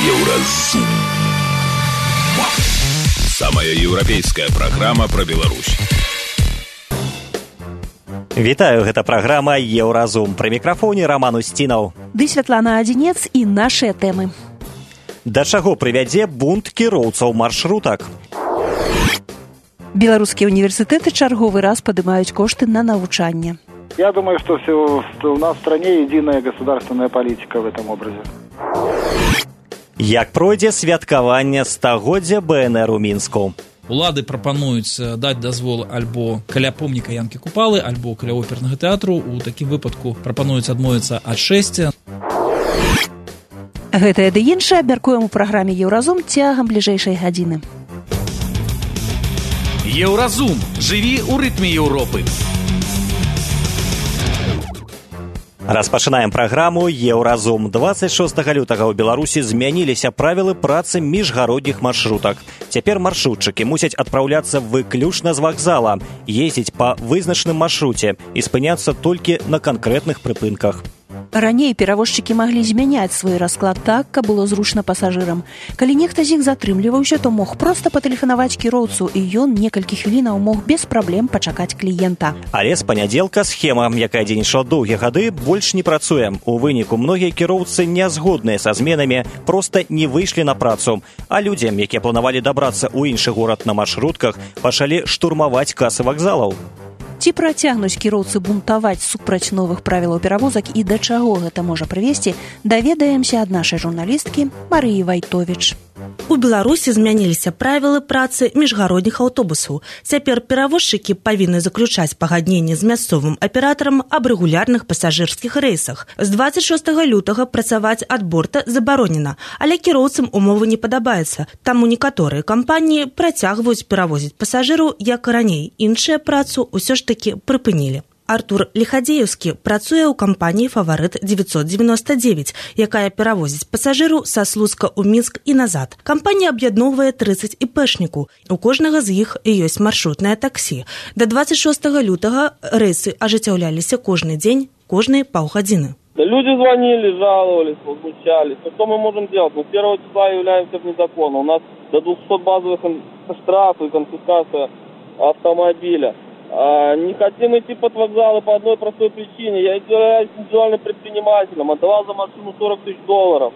Еўразум. Самая еўрапейская праграма пра Беларусь. Вітаю, гэта праграма «Еўразум». Пры мікрафоне Роман Устінаў. Ды Святлана Адзінец і нашыя тэмы. Да чаго прывядзе бунт кіроўцаў маршрутак? Беларускія універсітэты чарговы раз падымаюць кошты на навучанне. Я думаю, что у нас в стране единая государственная политика в этом образе. Як пройдзе святкаванне 100-годдзя БНР у Мінску? Улады прапануюць даць дазвол альбо каля помніка Янкі Купалы, альбо каля опернага тэатру. У такім выпадку прапануюць адмовіцца ад шэсця. Гэтае ды іншае абмяркуем у праграме «Еўразум» цягам бліжэйшай гадзіны. Еўразум. Жыві ў рытме Еўропы. Распачынаем праграму «Еўразум». 26 лютага ў Беларусі змяніліся правілы працы міжгародніх маршрутак. Цяпер маршрутчыкі мусяць адпраўляцца выключна з вакзала, ездзіць па вызначаным маршруце і спыняцца толькі на канкрэтных прыпынках. Раней перавозчыкі маглі змяняць свой расклад так, каб было зручна пасажырам. Калі нехта з іх затрымліваўся, то мог проста патэлефанаваць кіроўцу, і ён некалькі хвілінаў мог без праблем пачакаць кліента. Але з панядзелка схема, якая дзейнічала доўгія гады, больш не працуе. У выніку многія кіроўцы не згодныя са зменамі, проста не выйшлі на працу. А людзям, якія планавалі дабрацца ў іншы горад на маршрутках, пачалі штурмаваць касы вакзалаў. Ці працягнуць кіроўцы бунтаваць супраць новых правілаў перавозак і да чаго гэта можа прывесці, даведаемся ад нашай журналісткі Марыі Вайтовіч. У Беларусі змяніліся правілы працы міжгародніх аўтобусаў. Цяпер перавозчыкі павінны заключаць пагадненне з мясцовым аператарам аб рэгулярных пасажырскіх рэйсах. З 26 лютага працаваць ад борта забаронена, але кіроўцам умовы не падабаецца. Таму некаторыя кампаніі працягваюць перавозіць пасажыраў, як і раней. Іншыя працу ўсё ж такі прыпынілі. Артур Лихадеевскі працуе ў кампаніі «Фаварыт 999», якая перавозіць пасажыру са Слуцка ў Мінск і назад. Кампанія аб'ядноўвае 30 іпэшніку. У кожнага з іх ёсць маршрутнае таксі. Да 26 лютага рэйсы ажыццяўляліся кожны дзень, кожныя паўгадзіны. Люди звонили, жаловались, возмущались. Что мы можем делать? Мы с 1 числа являемся вне закона. У нас до 200 базовых штрафов и конфискация автомобиля. Не хотим идти под вокзалы по одной простой причине. Я являюсь индивидуальным предпринимателем, отдавал за машину $40 000.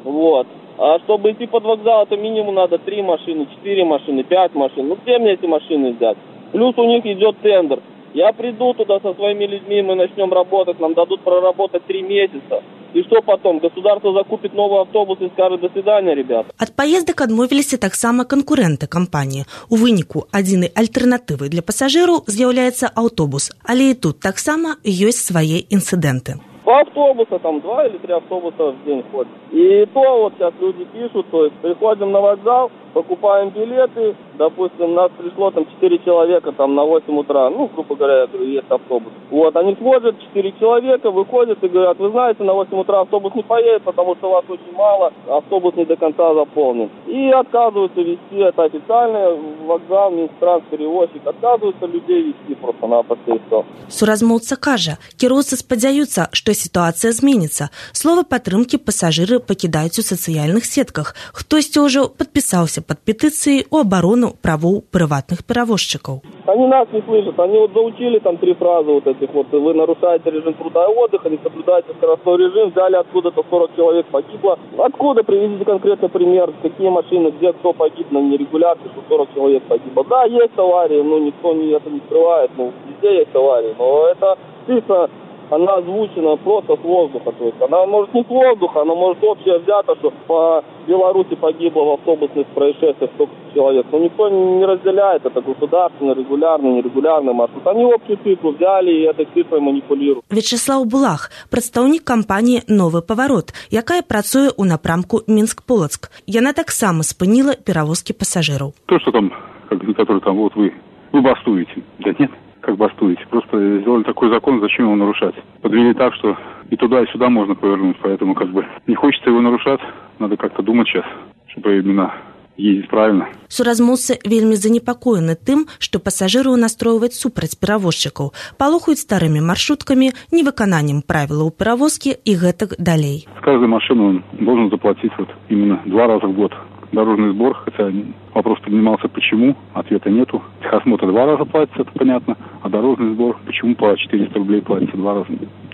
Вот. А чтобы идти под вокзал, это минимум надо 3 машины, 4 машины, 5 машин. Ну где мне эти машины взять? Плюс у них идет тендер. Я приду туда со своими людьми, мы начнем работать, нам дадут проработать 3 месяца. И что потом? Государство закупит новый автобус и скажет «до свидания, ребята». Ад паездак адмовіліся таксама канкурэнты кампаніі. У выніку адзінай альтэрнатывай для пасажыраў з'яўляецца аўтобус. Але і тут таксама ёсць свае інцыдэнты. По автобуса, там 2 или 3 автобуса в день ходят. И то вот сейчас люди пишут, то есть приходим на вокзал, покупаем билеты, допустим, нас пришло там 4 человека там на 8 утра, ну, грубо говоря, есть автобус. Вот, они смотрят, 4 человека, выходят и говорят, вы знаете, на 8 утра автобус не поедет, потому что вас очень мало, автобус не до конца заполнен. И отказываются везти, это официальный вокзал, Минтранс-перевозчик, отказываются людей везти просто-напросто и все. Суразмоўца кажа, кіроўцы спадзяюцца, што сітуацыя зменіцца. Слова падтрымкі пасажыры пакідаюць у сацыяльных сетках. Хтосьці ўжо падпісаўся пад петыцыяй у абарону правоў прыватных перавозчыкаў. Они нас не слышат, они вот заучили там 3 фразы вот этих вот, вы нарушаете режим труда и отдыха, не соблюдаете скоростной режим, взяли откуда-то 40 человек погибло. Откуда? Приведите конкретный пример, какие машины, где кто погиб на нерегулярке, что 40 человек погибло. Да, есть аварии, но никто это не скрывает, везде есть аварии, но это чисто она озвучена просто с воздуха. То есть она может не с воздуха, она может общее взято, что по Беларуси погибло в автобусных происшествиях столько человек. Но никто не разделяет, это государственный, регулярный, нерегулярный маршрут. Они общую цифру взяли и этой цифрой манипулируют. Вячеслав Булах, прадстаўнік кампаніі «Новы паварот», якая працуе ў напрамку Мінск-Полацк. Яна таксама спыніла перавозкі пасажыраў. То, что там, который там, вот вы бастуете. Да нет. Как бастуете. Просто сделали такой закон, зачем его нарушать? Подвели так, что и туда, и сюда можно повернуть, поэтому как бы не хочется его нарушать, надо как-то думать сейчас, чтобы именно ездить правильно. Суразмоўцы вельмі занепакоены тым, што пасажыраў настройваюць супраць перавозчыкаў, палохаюць старымі маршруткамі, невыкананнем правілаў перавозкі и гэтак далей. С каждой машины он должен заплатить именно 2 раза в год дорожный сбор, хотя вопрос поднимался, почему, ответа нету. Техосмотр 2 раза платится, это понятно, а дорожный сбор почему по 400 рублей платится 2 раза,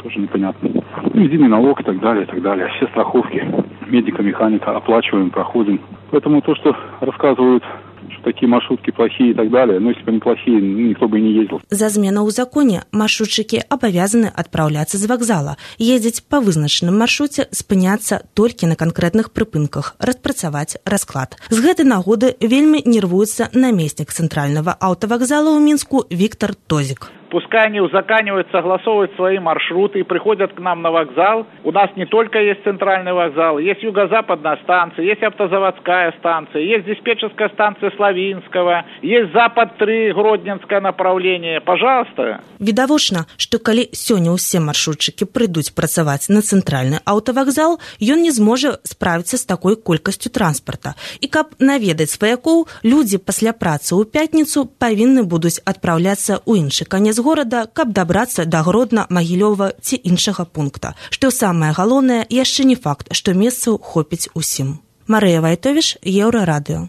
тоже непонятно. Единый налог и так далее, и так далее. Все страховки медика, механика оплачиваем, проходим. Поэтому то, что рассказывают, что такие маршрутки плохие и так далее, но если бы они плохие, никто бы и не ездил. За змену ў законе маршрутчыкі абавязаны адпраўляцца з вакзала, ездзіць па вызначаным маршруце, спыняцца толькі на канкрэтных прыпынках, распрацаваць расклад. З гэтай нагоды вельмі нервуецца намеснік цэнтральнага аўтавакзала ў Мінску Виктор Тозик. Пускай они узаканивают, согласовывают свои маршруты и приходят к нам на вокзал. У нас не только есть центральный вокзал, есть юго-западная станция, есть автозаводская станция, есть диспетчерская станция Славинского, есть Запад-3, Гродненское направление. Пожалуйста. Відавочна, што калі сёння ўсе маршрутчыкі прыйдуць працаваць на цэнтральны аўтавакзал, ён не зможа справіцца з такой колькасцю транспарта. І каб наведаць сваякоў, людзі пасля працы ў пятніцу павінны будуць адпраўляцца ў іншы канец горада, каб дабрацца да Гродна, Магілёва ці іншага пункта. Што самае галоўнае, яшчэ не факт, што месцаў хопіць усім. Марыя Вайтовіш, Еўрарадыё.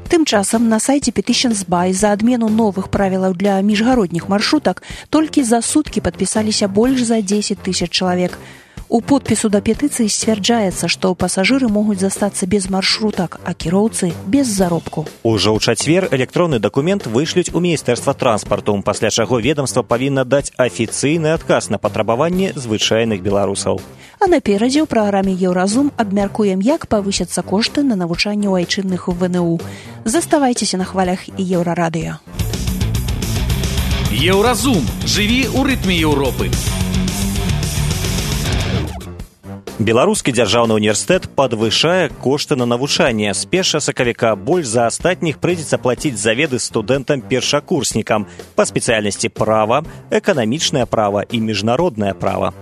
Тым часам на сайце Petitions By за адмену новых правілаў для міжгародніх маршрутак толькі за суткі падпісаліся больш за 10 000 чалавек. У подпісу да петыцыі сцвярджаецца, што пасажыры могуць застацца без маршрутак, а кіроўцы без заробку. Ужо ў чацвер электронны дакумент вышлюць у Міністэрства транспарту, пасля чаго ведомства павінна даць афіцыйны адказ на патрабаванні звычайных беларусаў. А наперадзе ў праграме Еўразум абмяркуем, як павысяцца кошты на навучанне ў айчынных ВНУ. Заставайцеся на хвалях Еўрарадыё. Еўразум. Жыві ў рытме Еўропы. Беларускі дзяржаўны універсітэт падвышае кошты на навучанне. З 1 сакавіка больш за астатніх прыйдзецца плаціць за веды студэнтам-першакурснікам па спецыяльнасці права, эканамічнае права і міжнароднае права.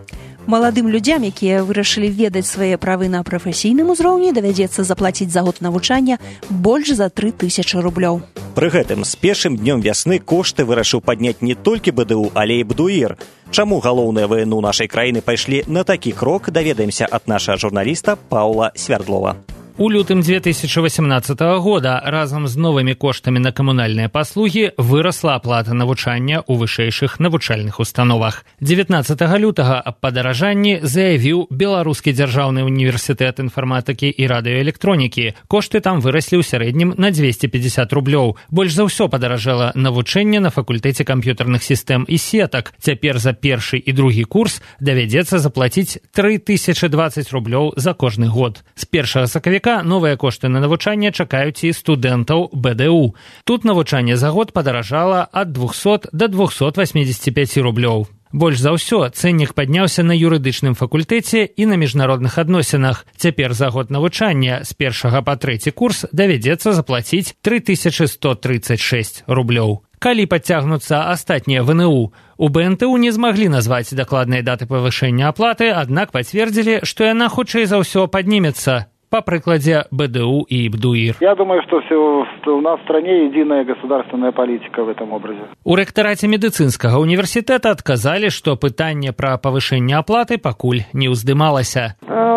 Маладым людзям, якія вырашылі ведаць свае правы на прафесійным узроўні, давядзецца заплаціць за год навучання больш за 3000 рублёў. Пры гэтым з першым днём вясны кошты вырашыў падняць не толькі БДУ, але і БДУІР. Чаму галоўныя ВНУ нашай краіны пайшлі на такі крок, даведаемся ад нашага журналіста Паўла Свярдлова. У лютым 2018 года разам з новымі коштамі на камунальныя паслугі вырасла аплата навучання ў вышэйшых навучальных установах. 19 лютага аб падаражанні заявіў Беларускі дзяржаўны універсітэт інфарматыкі і радыёэлектронікі. Кошты там выраслі ў сярэднім на 250 рублёў. Больш за ўсё падаражала навучанне на факультэце камп'ютарных сістэм і сетак. Цяпер за першы і другі курс давядзецца заплаціць 3020 рублёў за кожны год. З 1 сакавіка новыя кошты на навучанне чакаюць і студэнтаў БДУ. Тут навучанне за год падаражала ад 200 до 285 рублёў. Больш за ўсё цэннік падняўся на юрыдычным факультэце і на міжнародных адносінах. Цяпер за год навучання з 1 па 3 курс давядзецца заплаціць 3136 рублёў. Калі падцягнуцца астатнія ВНУ, у БНТУ не змаглі назваць дакладнай даты павышэння аплаты, аднак пацвердзілі, што яна хутчэй за ўсё паднімецца. По прикладе БДУ и БДУИР. Я думаю, что у нас в стране единая государственная политика в этом образе. У рэктараце медыцынскага універсітэта адказалі, што пытанне пра павышэнне аплаты пакуль не ўздымалася.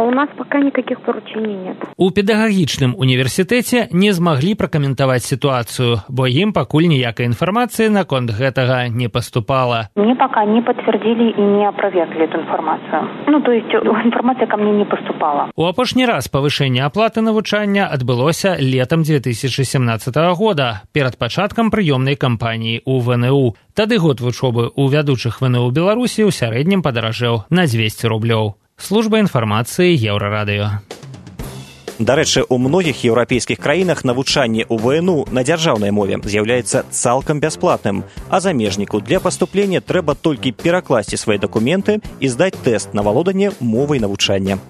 У нас пока никаких поручений нет. У педагагічным універсітэце не змаглі пракаментаваць сітуацыю, бо ім пакуль ніякай інфармацыі наконт гэтага не паступала. Мне пока не подтвердили и не опровергли эту информацию. То есть информация ко мне не поступала. У апошні раз павышэнне аплаты навучання адбылося летам 2017 года, перад пачаткам прыёмнай кампаніі ў ВНУ. Тады год вучобы ў вядучых ВНУ Беларусі ў сярэднім падаражэў на 200 рублёў. Служба інфармацыі Еўрарадыё. Дарэчы, у многіх еўрапейскіх краінах навучанне ў ВНУ на дзяржаўнай мове з'яўляецца цалкам бясплатным, а замежніку для паступлення трэба толькі перакласці свае дакументы і здаць тэст на валоданне мовай навучання.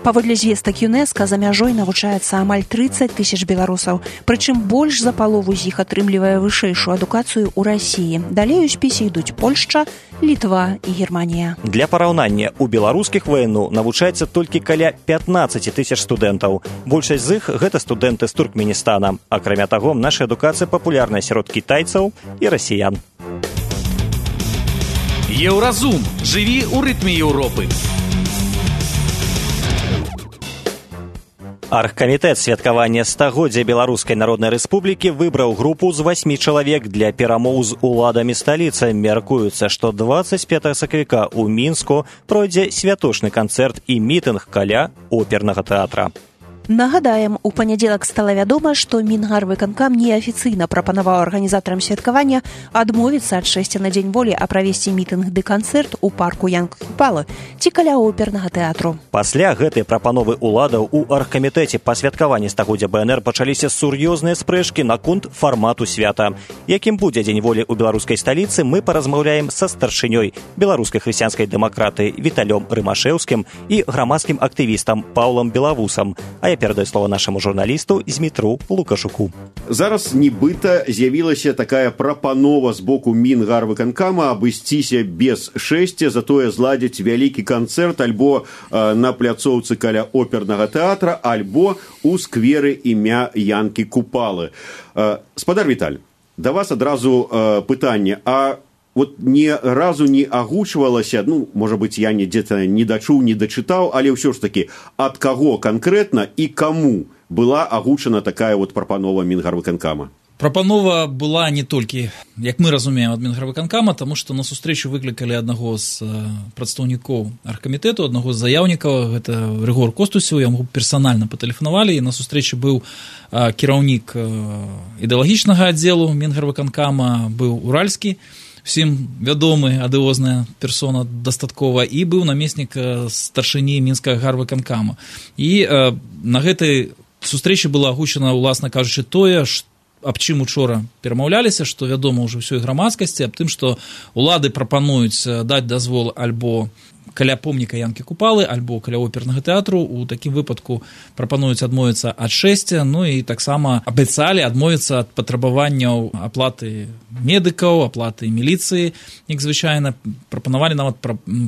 Паводле звестак ЮНЕСКО за мяжой навучаецца амаль 30 тысяч беларусаў, прычым больш за палову з іх атрымлівае вышэйшую адукацыю ў Расіі. Далей у спісе ідуць Польшча, Літва і Германія. Для параўнання, у беларускіх ВНУ навучаецца толькі каля 15 тысяч студэнтаў. Большасць з іх гэта студэнты з Туркменістана. Акрамя таго, наша адукацыя папулярная сярод кітайцаў і расіян. Еўразум. Жыві ў рытме Еўропы. Аргкамітэт святкавання стагоддзя Беларускай Народнай Рэспублікі выбраў групу з 8 чалавек для перамоў з уладамі сталіцы. Мяркуецца, што 25 сакавіка ў Мінску пройдзе святочны канцэрт і мітынг каля опернага тэатра. Нагадаем, у панядзелак стала вядома, што Мінгарвыканкам неафіцыйна прапанаваў арганізатарам святкавання адмовіцца ад шэсця на дзень волі, а правесці мітынг ды канцэрт у парку Янкі Купалы ці каля опернага тэатру. Пасля гэтай прапановы ўладаў у аргкамітэце па святкаванні стагоддзя БНР пачаліся сур'ёзныя спрэчкі наконт фармату свята. Якім будзе дзень волі ў беларускай сталіцы, мы паразмаўляем са старшынёй беларускай хрысціянскай дэмакраты Віталём Рымашэўскім і грамадскім актывістам Паўлам Белавусам. Я перадаю слово нашаму журналісту Змітру Лукашуку. Зараз нібыта з'явілася такая прапанова з боку Мінгарвыканкама абысціся без шэсця, затое зладзіць вялікі канцэрт альбо на пляцоўцы каля опернага тэатра, альбо ў скверы імя Янкі Купалы. Спадар Віталь, да вас адразу пытанне, а вот ні разу не агучвалася, можа быць, я где-то не дачуў, не дачытаў, але ўсё ж такі, ад каго канкрэтна і каму была агучана такая вот прапанова Мінгарвыканкама? Прапанова была не толькі, як мы разумеем, ад Мінгарвыканкама, таму што на сустрэчу выклікалі аднаго з прадстаўнікоў аргкамітэту, аднаго з заяўнікаў, гэта Рыгор Костусеў, яму персанальна патэлефанавалі, і на сустрэчы быў кіраўнік ідэалагічнага аддзелу Мінгарвыканкама, быў Уральскі, всім вядомы, адыозная персона дастаткова, і быў намеснік старшыні Мінскага гарвыканкама. І на гэтай сустрэчы была агучана, уласна кажучы, тое, аб чым учора перамаўляліся, што вядома ўжо ўсёй грамадскасці, аб тым, што улады прапануюць даць дазвол альбо каля помніка Янкі Купалы, альбо каля опернага тэатру. У такім выпадку прапануюць адмовіцца ад шэсця, і таксама абяцалі адмовіцца ад патрабаванняў аплаты медыкаў, аплаты міліцыі, як звычайна, прапанавалі нават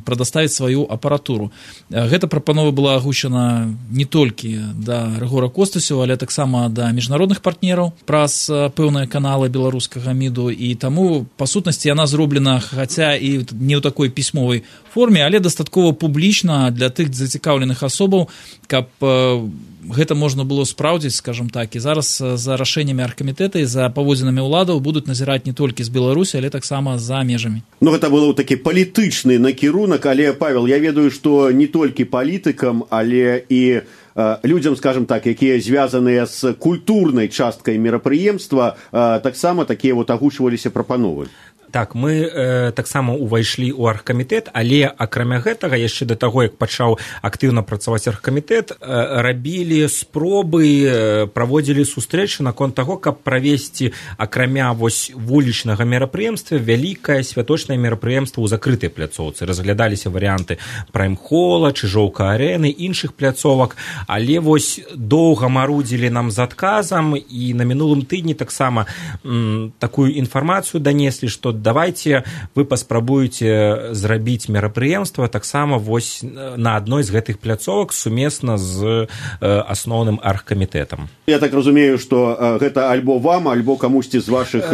прадаставіць сваю апаратуру. Гэта прапанова была агучана не толькі да Рыгора Костусева, але таксама да міжнародных партнераў праз пэўныя каналы беларускага МІДу, і таму, па сутнасці, яна зроблена, хаця і не ў такой пісьмовай форме, але дастаткова публічна для тых зацікаўленых асобаў, каб гэта можна было спраўдзіць, скажем так. І зараз за рашэннямі аргкамітэта і за паводзінамі ўладаў будуць назіраць не толькі з Беларусі, але таксама за межамі. Гэта было такі палітычны накірунак, але, Павел, я ведаю, што не толькі палітыкам, але і людзям, скажем так, якія звязаныя з культурнай часткай мерапрыемства, таксама такія агучваліся прапановы. Так, мы таксама ўвайшлі ў аргкамітэт, але акрамя гэтага, яшчэ да таго, як пачаў актыўна працаваць аргкамітэт, рабілі спробы, праводзілі сустрэчы наконт таго, каб правесці акрамя вулічнага мерапрыемства вялікае святочнае мерапрыемства ў закрытай пляцоўцы. Разглядаліся варыянты прайм-хола, Чыжоўка-арэны, іншых пляцовак, але доўга марудзілі нам з адказам, і на мінулым тыдні таксама такую інфармацыю данеслі, што давайте вы паспрабуеце зрабіць мерапрыемства таксама на адной з гэтых пляцовак сумесна з асноўным аргкамітэтам. Я так разумею, што гэта альбо вам, альбо камусьці з вашых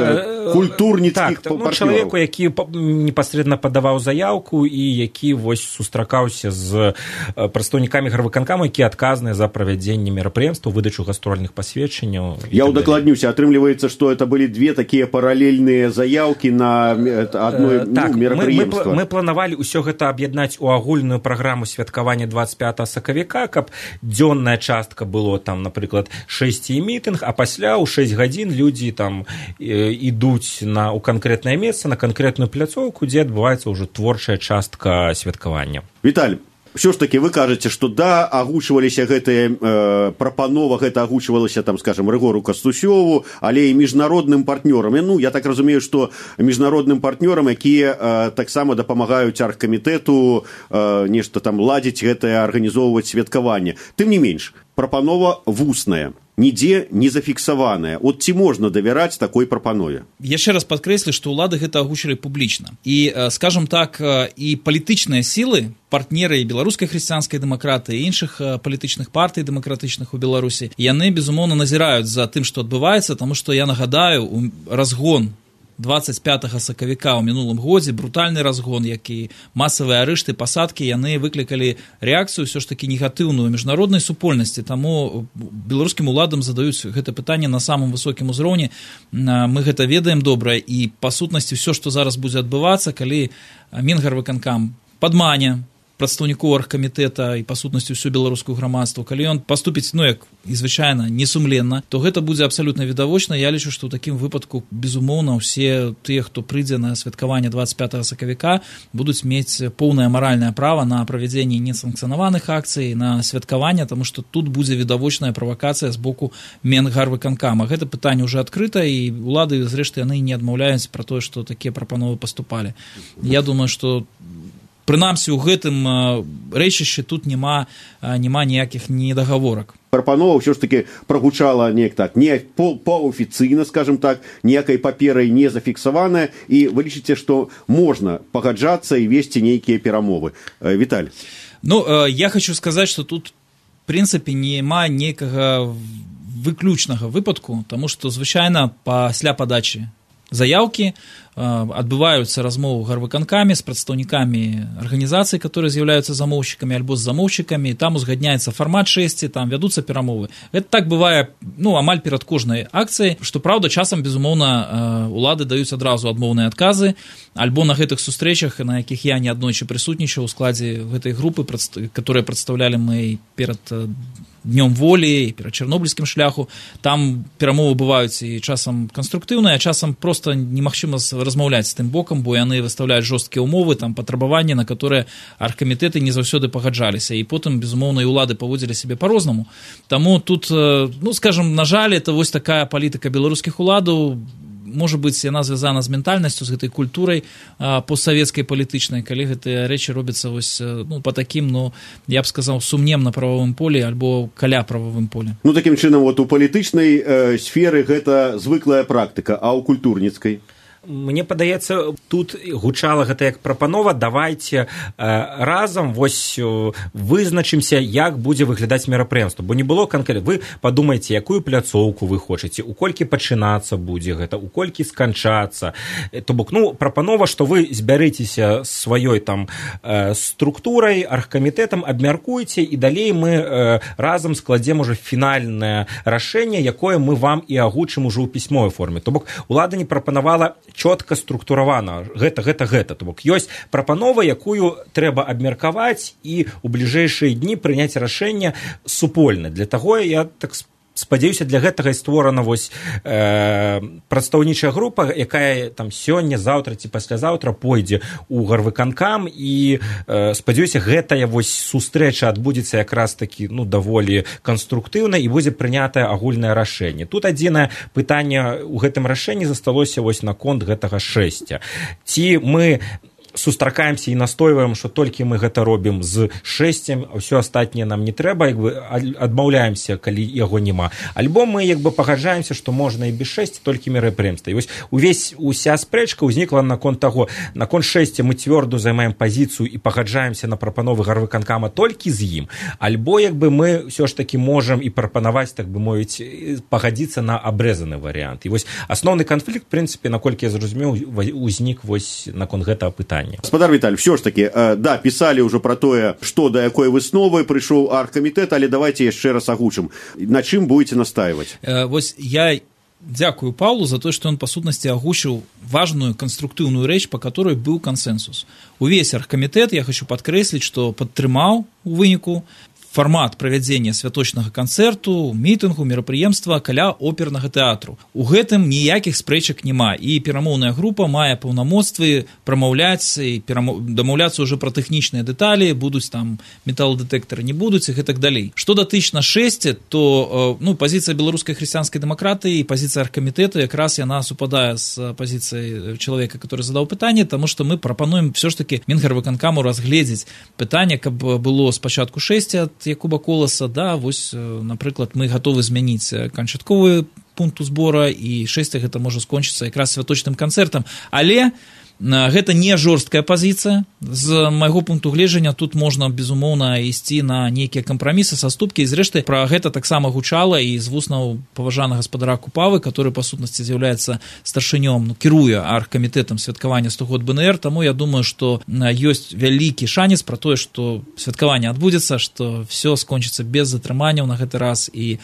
культурніцкіх партнёраў. Чалавеку, які непасрэдна падаваў заяўку і які сустракаўся з прадстаўнікамі гарвыканкама, які адказныя за правядзенне мерапрыемства, выдачу гастрольных пасведчанняў. Я ўдакладнюся, атрымліваецца, што это былі две такія паралельныя заяўкі на адной мерапрыемства. Мы планавалі ўсё гэта аб'яднаць у агульную праграму святкавання 25 сакавіка, каб дзённая частка было там, напрыклад, 6 і мітынг, а пасля ў 6 гадзін людзі там ідуць ў канкрэтнае месца, на канкрэтную пляцоўку, дзе адбываецца ўжо творчая частка святкавання. Віталь, Все ж таки вы кажаце, што да, агучваліся гэтыя прапанова, гэта агучвалася там, скажем, Рыгору Кастусёву, але і міжнародным партнёрам. Ну, я так разумею, што міжнародным партнёрам, якія таксама дапамагаюць аргкамітэту нешта там ладзіць гэтае, арганізоўваць святкаванне. Тым не менш, прапанова вусная, нідзе не зафіксаваная. От ці можна давяраць такой прапанове? Яшчэ раз падкрэслю, што ўлады гэта агучылі публічна. І, скажам так, і палітычныя сілы, партнеры і беларускай хрысціянскай дэмакратыі, і іншых палітычных партый дэмакратычных у Беларусі, яны, безумоўна, назіраюць за тым, што адбываецца, таму што, я нагадаю, разгон 25 сакавіка ў мінулым годзе, брутальны разгон, які масавыя арышты, пасадкі, яны выклікалі рэакцыю ўсё ж такі негатыўную міжнароднай супольнасці, таму беларускім уладам задаюць гэта пытанне на самым высокім узроўні. Мы гэта ведаем добра, і па сутнасці ўсё, што зараз будзе адбывацца, калі Мінгарвыканкам падмане прадстаўнікоў аргкамітэта і па сутнасці ўсю беларускую грамадству, калі ён паступіць, ну, як і звычайна, несумленна, то гэта будзе абсалютна відавочна. Я лічу, што ў такім выпадку, безумоўна, усе тыя, хто прыйдзе на святкаванне 25 сакавіка, будуць мець поўнае маральнае права на правядзенне несанкцыянаваных акцый, на святкаванне, таму што тут будзе відавочная правакацыя з боку Мінгарвыканкама. Гэта пытанне ўжо адкрыта, і улады, зрэшты, яны не адмаўляюць пра тое, што такія прапановы паступалі. Я думаю, што прынамсі, у гэтым рэчышчы тут няма ніякіх недагаворак. Прапанова ўсё ж таки прагучала неяк так, не паўафіцыйна, скажем так, ніякай паперай не зафіксаваная, і вы лічыце, што можна пагаджацца і весці нейкія перамовы. Віталь. Ну, я хочу сказаць, што тут, в прынцыпе, няма нейкага выключнага выпадку, таму што, звычайна, пасля падачы заяўкі адбываюцца размовы ў гарвыканкаме з прадстаўнікамі арганізацый, которые з'яўляюцца замоўшчыкамі альбо з замоўшчыкамі, там узгадняецца фармат 6, там вядуцца перамовы. Гэта так бывае, ну, амаль перад кожнай акцыяй, што, праўда, часам, безумоўна, улады даюць адразу адмоўныя адказы, альбо на гэтых сустрэчах, на якіх я неаднойчы прысутнічаў у складзе гэтай групы, которые прадстаўлялі мы перад Днём волі і перад чарнобыльскім шляху, там перамовы бываюць і часам канструктыўныя, а часам проста немагчыма размаўляць з тым бокам, бо яны выставляюць жорсткія ўмовы, там патрабаванні, на которые аргкамітэты не заўсёды пагаджаліся, і потым, безумоўна, і улады паводзілі сябе па-рознаму. Таму тут, ну, скажам, на жаль, это вось такая палітыка беларускіх уладаў. Можа быць, яна звязана з ментальнасцю, з гэтай культурай постсавецкай палітычнай, калі гэтыя рэчы робяцца вось, ну, па такім, ну, я б сказаў, сумнем на прававым полі альбо каля прававым полі. Ну, такім чынам, вот у палітычнай сферы гэта звыклая практыка, а ў культурніцкай? Мне падаецца, тут гучала гэта як прапанова, давайте разам вось вызначымся, як будзе выглядаць мерапрыемства, бо не было канкрэтна. Вы падумайце, якую пляцоўку вы хочаце, у колькі пачынацца будзе гэта, у колькі сканчацца. То бок, ну, прапанова, што вы збярыцеся сваёй там структурай, аргкамітэтам, абмяркуйце, і далей мы разам складзем уже фінальнае рашэнне, якое мы вам і агучым ужо ў пісьмовай форме. То бок, улада не прапанавала чётка структуравана, гэта. То бок, ёсць прапанова, якую трэба абмеркаваць і ў бліжэйшыя дні прыняць рашэнне супольна. Для таго, я так спадзяюся, для гэтага і створана вось прадстаўнічая група, якая там сёння, заўтра ці паслязаўтра пойдзе ў гарвыканкам, і спадзяюся, гэтая вось сустрэча адбудзецца якраз такі, ну, даволі канструктыўна, і будзе прынятае агульнае рашэнне. Тут адзінае пытанне ў гэтым рашэнні засталося вось наконт гэтага 6. Ці мы сустракаемся і настойваем, што толькі мы гэта робім з 6, а ўсё астатняе нам не трэба, як бы адмаўляемся, калі яго няма. Альбо мы як бы пагаджаемся, што можна і без 6, толькі мерапрыемства. І вось уся спрэчка ўзнікла наконт таго, наконт 6 мы цвёрда займаем пазіцыю і пагаджаемся на прапановы гарвыканкама толькі з ім, альбо як бы мы ўсё ж такі можам і прапанаваць, так бы мовіць, пагадзіцца на абрэзаны варыянт. І вось асноўны канфлікт, в прынцыпе, наколькі я зразумеў, узнік вось наконт гэтага пытання. Гаспадар Віталь, все ж таки, да, писали уже про тое, што да якой высновы прыйшоў аргкамітэт, але давайте яшчэ раз агучым. На чым будете настаивать? Вось я дзякую Павлу за то, что он, по сутнасці, агучыў важную конструктыўную рэч, по которой был консенсус. Увесь аргкамітэт, я хочу подкрэсліць, что падтрымаў у выніку фармат правядзення святочнага канцэрту, мітынгу, мерапрыемства каля опернага тэатру. У гэтым ніякіх спрэчак няма, і перамоўная група мае паўнамоцтвы прамаўляць і дамаўляцца ўжо пра тэхнічныя дэталі, будуць там металодэтэктары, не будуць і гэтак далей. Што датычна 6, то пазіцыя беларускай хрысціянскай дэмакратыі і пазіцыя аргкамітэту якраз яна супадае з пазіцыяй чалавека, который задаў пытанне, таму што мы прапануем все ж таки Мінгарвыканкаму разгледзець пытанне, каб было спачатку 6 ад Якуба Коласа, да, вось, напрыклад, мы гатовы змяніць канчатковы пункт збора, і 6 гэта можа скончыцца якраз святочным канцэртам, але гэта не жорсткая пазіцыя. З майго пункту гледжання тут можна, безумоўна, ісці на нейкія кампрамісы, саступкі, і зрэшты пра гэта таксама гучала і з вуснаў паважанага гаспадара Купавы, который па сутнасці з'яўляецца старшынём, кіруе аргкамітэтам святкавання 100-год БНР, таму я думаю, што ёсць вялікі шанец пра тое, што святкаванне адбудзецца, што все скончыцца без затрыманняў на гэты раз, і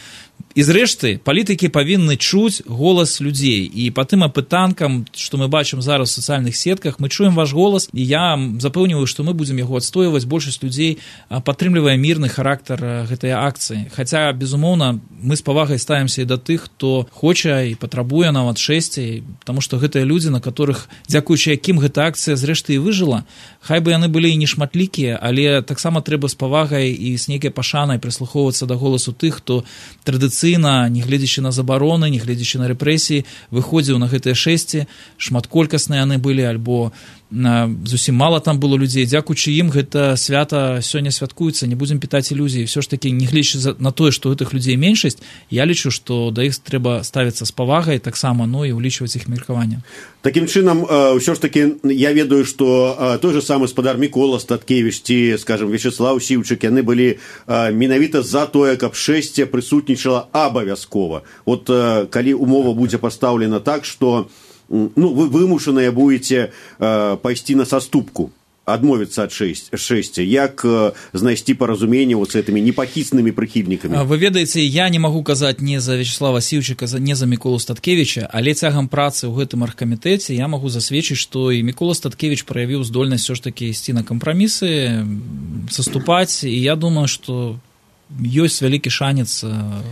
зрэшты палітыкі павінны чуць голас людзей, і па тым апытанкам, што мы бачым зараз у сацыяльных сетках, мы чуем ваш голас, і я запэўніваю, што мы будзем яго адстойваць. Большасць людзей падтрымлівае мірны характар гэтай акцыі. Хаця, безумоўна, мы з павагай ставімся і да тых, хто хоча і патрабуе нават 6, таму што гэтыя людзі, на которых, дзякуючы якім гэта акцыя зрэшты і выжыла, хай бы яны былі і не шматлікія, але таксама трэба з павагай і з нейкай пашанай прыслухоўвацца да голасу тых, хто традыцыйна, не гледзячы на забароны, не гледзячы на рэпрэсіі, выходзіў на гэтыя 6, шматколькасныя яны былі, альбо зусім мала там было людзей. Дзякуючы ім гэта свята сёння святкуецца, не будзем пітаць ілюзіі. Все ж такі, не гледзячы на тое, што гэтых людзей меншасць, я лічу, што да іх трэба ставіцца з павагай таксама, і ўлічваць іх меркаванне. Такім чынам, ўсё ж такі, я ведаю, што той же самы спадар Мікола Статкевіч ці, скажем, Вячеслав Сіўчык, яны былі менавіта за тое, каб 6 прысутнічала абавязкова. Вот калі умова будзе пастаўлена так, што вы вымушаныя будете пайсці на саступку, адмовіцца ад 6, як знайсці паразуменне з гэтымі непахіснымі прыхільнікамі? Вы ведаеце, я не магу казаць не за Вячеслава Сіўчыка, не за Міколу Статкевіча, але цягам працы ў гэтым аргкамітэце я магу засведчыць, што і Мікола Статкевіч праявіў здольнасць все ж такі ісці на кампрамісы, саступаць, і я думаю, што ёсць вялікі шанец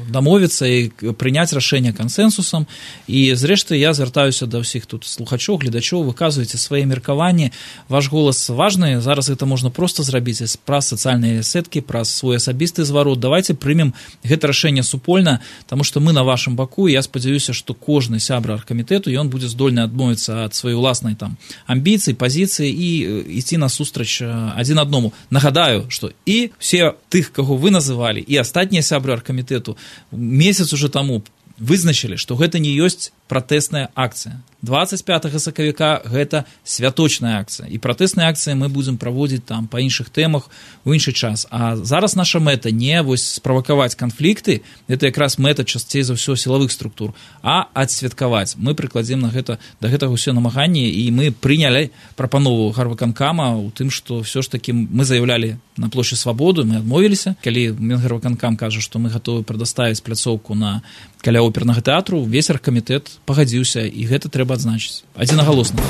дамовіцца і прыняць рашэнне кансэнсусам. І зрэшты я звяртаюся да ўсіх тут слухачоў, гледачоў, выказвайце свае меркаванні, ваш голас важны, зараз гэта можна проста зрабіць праз сацыяльныя сеткі, праз свой асабісты зварот. Давайте прымем гэта рашэнне супольна, таму што мы на вашым баку, і я спадзяюся, што кожны сябра аргкамітэту, ён будзе здольны адмовіцца ад сваёй уласнай там амбіцыі, пазіцыі і ісці насустрач адзін аднаму. Нагадаю, што і все тых, каго вы называлі, і астатнія сябры аргкамітэту месяц уже таму вызначылі, што гэта не ёсць пратэсная акцыя. 25 сакавіка гэта святочная акцыя. І пратэсныя акцыі мы будзем праводзіць там па іншых тэмах у іншы час. А зараз наша мэта не вось справакаваць канфлікты, гэта якраз мэта часцей за ўсё сілавых структур, а адсвяткаваць. Мы прыкладзем на гэта, да гэтага ўсё намаганне, і мы прынялі прапанову гарвыканкама ў тым, што ўсё ж такі мы заяўлялі на плошчы Свабоды, мы адмовіліся. Калі Мінгарвыканкам кажа, што мы гатовы прадаставіць пляцоўку на каля опернага тэатру, увесь аргкамітэт пагадзіўся, і гэта трэба адзначыць адзінагалосна.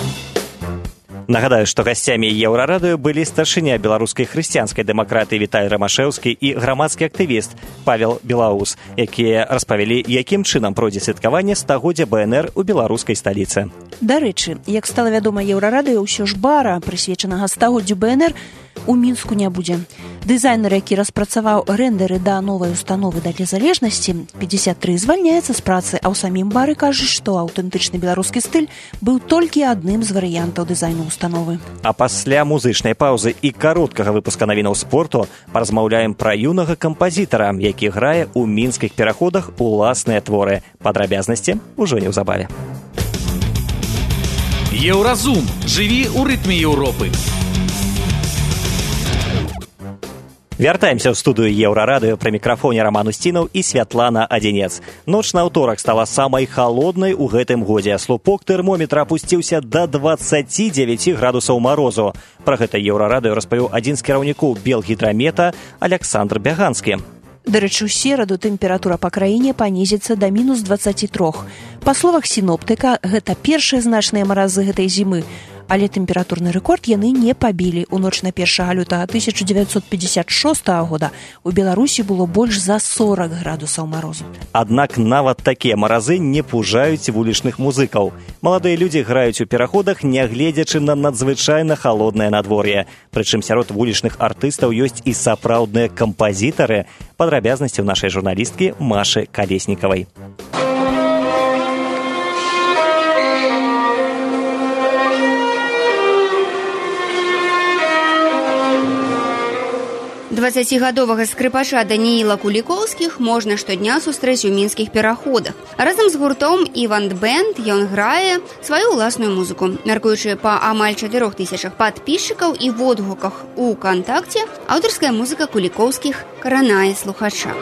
Нагадаю, што гасцямі Еўрарадыё былі старшыня беларускай хрысціянскай дэмакратыі Віталь Рамашэўскі і грамадскі актывіст Павел Белаус, якія распавялі, якім чынам пройдзе святкаванне 100-годдзя БНР у беларускай сталіцы. Дарэчы, як стала вядома Еўрарадыё, ўсё ж бара, прысвечанага 100-годдзю БНР, у Мінску не будзе. Дызайнер, які распрацаваў рэндэры да новай установы да незалежнасці, 53 звальняецца з працы, а ў самім бары кажуць, што аўтэнтычны беларускі стыль быў толькі адным з варыянтаў дызайну установы. А пасля музычнай паўзы і кароткага выпуска навінаў спорту паразмаўляем пра юнага кампазітара, які грае ў мінскіх пераходах уласныя творы. Падрабязнасці ўжо неўзабаве. Еўразум. Жыві ў рытме Еўропы. Вяртаемся ў студыю Еўрарадыё, пры мікрафоне Раман Усцінаў і Святлана Адзінец. Ноч на аўторак стала самай халоднай у гэтым годзе. Слупок тэрмометра апусціўся да 29 градусаў марозу. Пра гэта Еўрарадыё распавіў адзін з кіраўнікоў Белгідрамета Аляксандр Бяганскі. Дарэчы, у сераду тэмпература па краіне панізіцца да -23. Па словах сіноптыка, гэта першыя значныя маразы гэтай зімы. Але тэмпературны рэкорд яны не пабілі. У ноч на 1 лютага 1956 года у Беларусі было больш за 40 градусаў марозу. Аднак нават такія маразы не пужаюць вулічных музыкаў. Маладыя людзі граюць у пераходах, нягледзячы на надзвычайна халоднае надвор'е. Прычым сярод вулічных артыстаў ёсць і сапраўдныя кампазітары. Падрабязнасці ў нашай журналісткі Машы Калеснікавай. Дваццацігадовага скрыпача Данііла Кулікоўскіх можна штодня сустрэць у мінскіх пераходах. Разам з гуртом «Іванд Бэнд» ён грае сваю ўласную музыку. Мяркуючы па амаль 4000 падпісчыкаў і водгуках у «Кантакце», аўтарская музыка Кулікоўскіх каранае слухача.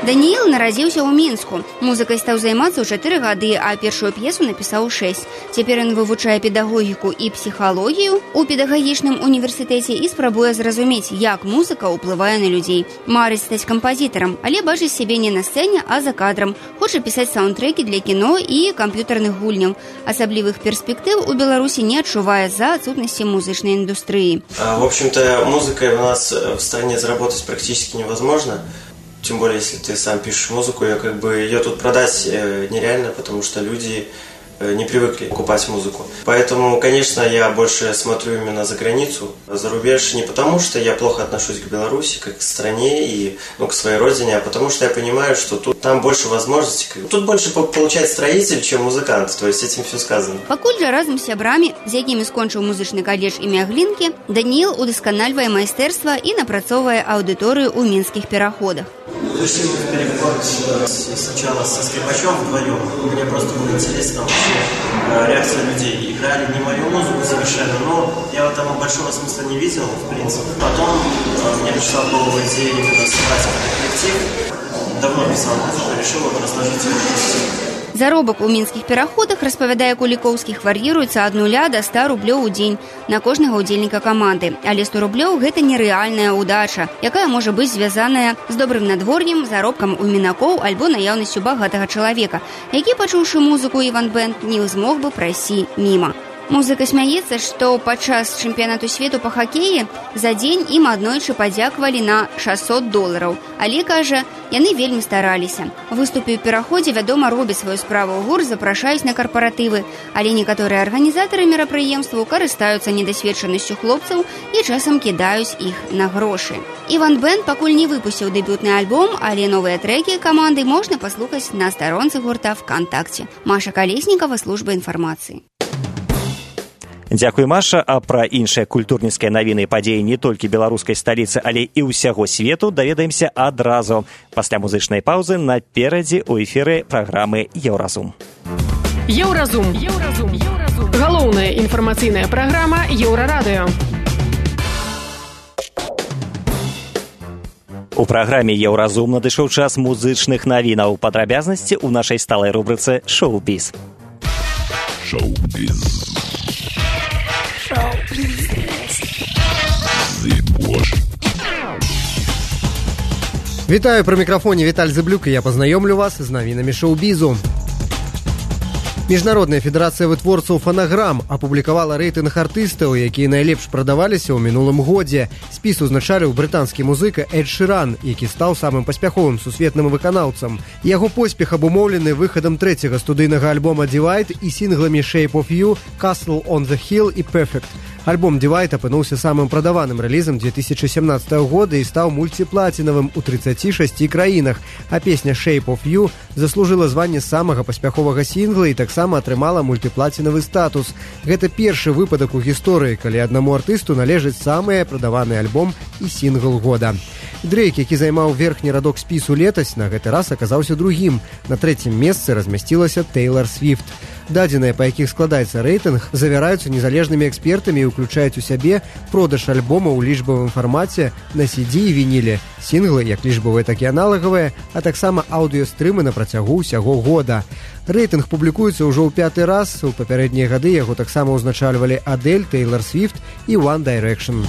Данііл нарадзіўся ў Мінску. Музыкай стаў займацца ў 4 гады, а першую п'есу напісаў у 6. Цяпер ён вывучае педагогіку і псіхалогію ў педагагічным універсітэце і спрабуе зразумець, як музыка ўплывае на людзей. Марыць стаць кампазітарам, але бачыць сябе не на сцэне, а за кадрам. Хоча пісаць саундтрэкі для кіно і камп'ютарных гульняў. Асаблівых перспектыў у Беларусі не адчувае за адсутнасці музычнай индустрии. В общем-то, музыкой у нас в стране заработать практически невозможно. Тем более, если ты сам пишешь музыку, ее тут продать нереально, потому что люди не привыкли покупать музыку. Поэтому, конечно, я больше смотрю именно за границу, за рубеж, не потому что я плохо отношусь к Беларуси, как к стране и к своей родине, а потому что я понимаю, что там больше возможностей. Тут больше получает строитель, чем музыкант, то есть этим все сказано. Пакуль жа разам з сябрамі, з якімі скончыў музычны каледж імя Глінкі, Данііл удасканальвае майстэрства і напрацоўвае аўдыторыю ў мінскіх пераходах. Решил переговорить сначала со скрипачом вдвоем. Мне просто было интересно вообще реакция людей. Играли не мою музыку совершенно, но я там большого смысла не видел, в принципе. Потом мне пришла в голову идея именно собрать этот коллектив. Давно писал музыку, решил его разложить в коллектив. Заробак у мінскіх пераходах, распавядае Кулікоўскіх, вар'іруецца ад 0 до 100 рублёў у дзень на кожнага ўдзельніка каманды. Але 100 рублёў – гэта нерэальная ўдача, якая можа быць звязаная з добрым надвор'ем, заробкам у мінакоў альбо наяўнасцю багатага чалавека, які, пачуўшы музыку «Іванд Бэнд», не змог бы прайсці міма. Музыка смяецца, што падчас чэмпіянату свету па хакеі за дзень ім аднойчы падзякавалі на $600. Але, кажа, яны вельмі стараліся. Выступы ў пераходзе, вядома, робяць сваю справу. Гурт запрашаюць на карпаратывы, але некаторыя арганізатары мерапрыемстваў карыстаюцца недасведчанасцю хлопцаў і часам кідаюць іх на грошы. «Іванд Бэнд» пакуль не выпусціў дэбютны альбом, але новыя трэкі каманды можна паслухаць на старонцы гурта ВКонтакте. Маша Калеснікава, служба інфармацыі. Дзякуй, Маша. А пра іншыя культурніцкія навіны і падзеі не толькі беларускай сталіцы, але і ўсяго свету даведаемся адразу. Пасля музычнай паўзы наперадзе ў эфіры праграмы «Еўразум». Еўразум. Галоўная інфармацыйная праграма Еўрарадыё. У праграме «Еўразум» надышоў час музычных навінаў. Падрабязнасці ў нашай сталай рубрыцы «Шоу-біз». Шоу-біз. Вітаю, пры мікрафоне Віталь Зыблюк, і я пазнаёмлю вас з навінамі шоу-бізу. Міжнародная федэрацыя вытворцаў фанаграм апублікавала рэйтынг артыстаў, якія найлепш прадаваліся ў мінулым годзе. Спіс узначаліў брытанскі музыка Эд Шыран, які стаў самым паспяховым сусветным выканаўцам. Яго поспех абумоўлены выхадам трэцяга студыйнага альбома «Divide» і сінгламі «Shape of You», «Castle on the Hill» і «Perfect». Альбом «Divide» апынуўся самым прадаваным рэлізам 2017 года і стаў мульціплацінавым у 36 краінах, а песня «Shape of You» заслужыла званне самага паспяховага сінгла і таксама атрымала мультыплацінавы статус. Гэта першы выпадак у гісторыі, калі аднаму артысту належыць самы прадаваны альбом і сінгл года. Дрейк, які займаў верхні радок спісу летась, на гэты раз аказаўся другім. На трэцім месцы размясцілася Тэйлар Свіфт. Дадзеныя, па якіх складаецца рэйтынг, завяраюцца незалежнымі экспертамі і ўключаюць у сябе продаж альбома ў лічбавым фармаце на CD і вініле, сінглы, як лічбавыя, так і аналагавыя, а таксама аўдыёстрымы на працягу ўсяго года. Рэйтынг публікуецца ўжо ў 5-й раз, у папярэднія гады яго таксама ўзначальвалі Адель, Тэйлар Свіфт і One Direction.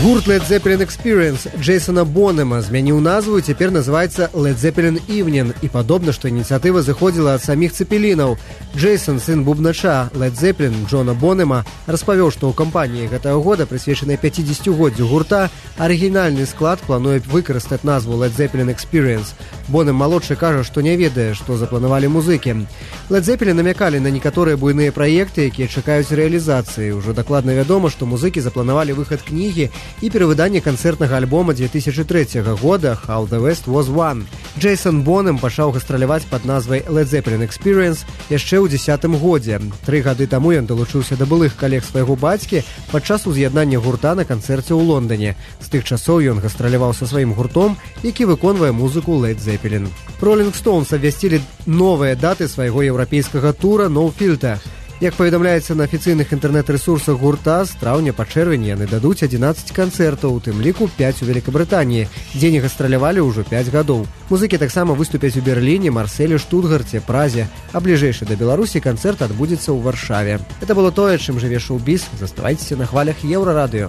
Гурт Led Zeppelin Experience Джейсона Бонема змяніў назву і цяпер называецца Led Zeppelin Evening, і падобна, што ініцыятыва заходзіла ад саміх цепелінаў. Джейсон, сын бубнача Led Zeppelin Джона Бонема, распавёў, што ў кампаніі гэтага года, прысвечанай 50-годдзю гурта, арыгінальны склад плануе выкарыстаць назву Led Zeppelin Experience. Бонем малодшы кажа, што не ведае, што запланавалі музыкі. Led Zeppelin намякалі на некаторыя буйныя праекты, якія чакаюць рэалізацыі. Ужо дакладна вядома, што музыкі запланавалі выхад кнігі і перавыданне канцэртнага альбома 2003 года «How the West Was Won». Джейсон Бонем пачаў гастраляваць пад назвай Led Zeppelin Experience яшчэ ў 10-м годзе. 3 гады таму ён далучыўся да былых калег свайго бацькі падчас уз'яднання гурта на канцэрце ў Лондоне. З тых часоў ён гастраляваў са сваім гуртом, які выконвае музыку Led Zeppelin. Rolling Stones абвясцілі новыя даты свайго еўрапейскага тура «No Filter». Як паведамляецца на афіцыйных інтэрнэт-рэсурсах гурта, з траўня па чэрвень яны дадуць 11 канцэртаў, у тым ліку 5 у Великабрытаніі, дзе не гастралявалі ўжо 5 гадоў. Музыкі таксама выступяць у Берліне, Марселі, Штутгарце, Празе, а бліжэйшы да Беларусі канцэрт адбудзецца ў Варшаве. Это было тое, чым жыве шоу-біз. Заставайцеся на хвалях Еўрарадыё.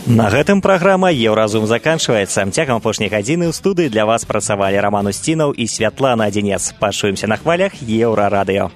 На гэтым праграма «Еўразум» заканчваецца. Цягам апошняй гадзіны ў студыі для вас працавалі Раман Усцінаў і Святлана Адзінец. Пачуемся на хвалях Еўрарадыё.